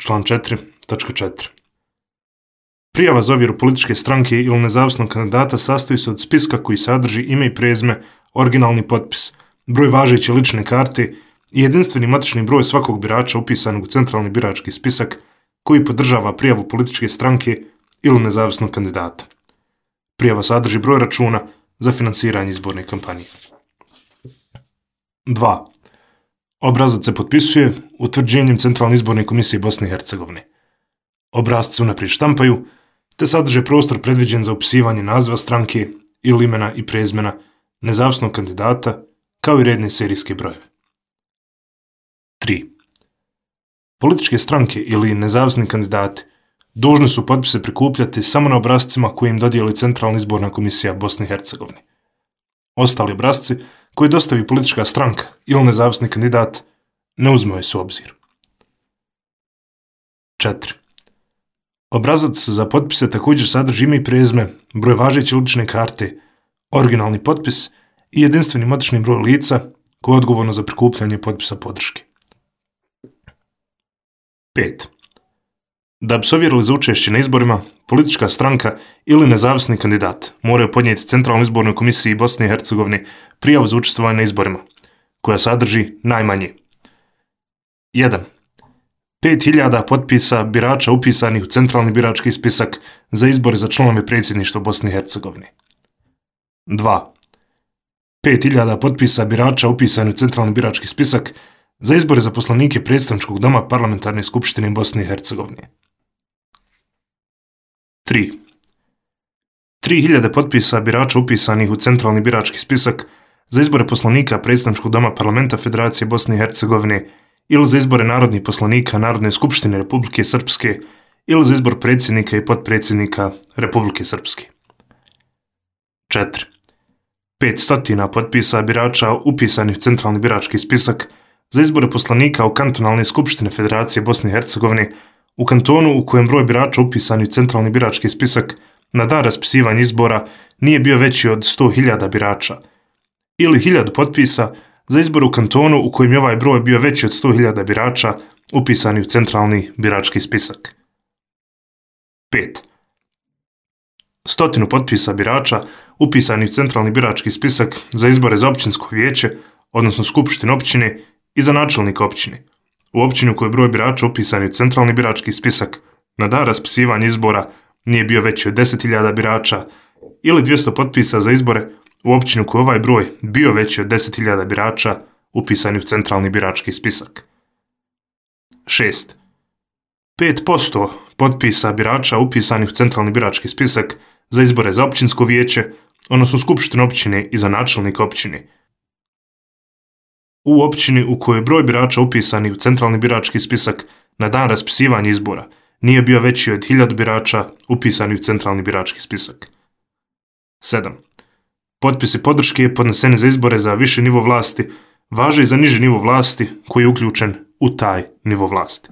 Član 4.4. Prijava za ovjeru političke stranke ili nezavisnog kandidata sastoji se od spiska koji sadrži ime i prezime, originalni potpis, broj važeće lične karte i jedinstveni matični broj svakog birača upisanog u centralni birački spisak koji podržava prijavu političke stranke ili nezavisnog kandidata. Prijava sadrži broj računa za finansiranje izborne kampanje. 2. Obrazac se potpisuje utvrđenjem Centralne izborne komisije Bosne i Hercegovine. Obrasci se unaprijed štampaju, te sadrže prostor predviđen za upisivanje naziva stranke ili imena i prezimena nezavisnog kandidata, kao i redne serijske brojeve. 3. Političke stranke ili nezavisni kandidati dužni su potpise prikupljati samo na obrascima koje im dodijeli Centralna izborna komisija Bosne i Hercegovine. Ostali obrasci koje dostavi politička stranka ili nezavisni kandidat ne uzimaju se u obzir. 4. Obrazac za potpise također sadrži ime i prezime, broj važeće lične karte, originalni potpis i jedinstveni matični broj lica koje je odgovorno za prikupljanje potpisa podrške. 5. Da bi se ovjerili za učešće na izborima, politička stranka ili nezavisni kandidat moraju podnijeti Centralnoj izbornoj komisiji Bosne i Hercegovine prijavu za učestvovanje na izborima, koja sadrži najmanje 1. 5.000 potpisa birača upisanih u centralni birački spisak za izbore za članove predsjedništva Bosne i Hercegovine. 2. 5.000 potpisa birača upisanih u centralni birački spisak za izbore za poslanike predstavničkog doma Parlamentarne skupštine Bosne i Hercegovine. 3. 3.000 potpisa birača upisanih u centralni birački spisak za izbore poslanika predstavničkog doma Parlamenta Federacije Bosne i Hercegovine ili za izbore narodnih poslanika Narodne skupštine Republike Srpske ili za izbor predsjednika i potpredsjednika Republike Srpske. 4. 500 potpisa birača upisanih u centralni birački spisak za izbore poslanika u kantonalne skupštine Federacije Bosne i Hercegovine u kantonu u kojem broj birača upisanih u centralni birački spisak na dan raspisivanja izbora nije bio veći od 100.000 birača, ili 1.000 potpisa za izbor u kantonu u kojem je ovaj broj bio veći od 100.000 birača upisani u centralni birački spisak. 5. 100 potpisa birača upisani u centralni birački spisak za izbore za općinsko vijeće, odnosno skupštinu općine i za načelnika općine, u općini u kojoj broj birača upisani u centralni birački spisak na dan raspisivanja izbora nije bio veći od 10.000 birača, ili 200 potpisa za izbore u općini u kojoj ovaj broj bio veći od 10.000 birača upisani u centralni birački spisak. 6. 5% potpisa birača upisanih u centralni birački spisak za izbore za općinsko vijeće, odnosno skupštinu općine i za načelnika općine, u općini u kojoj broj birača upisanih u centralni birački spisak na dan raspisivanja izbora nije bio veći od 1.000 birača upisanih u centralni birački spisak. 7. Potpisi podrške podneseni za izbore za viši nivo vlasti važe i za niži nivo vlasti koji je uključen u taj nivo vlasti.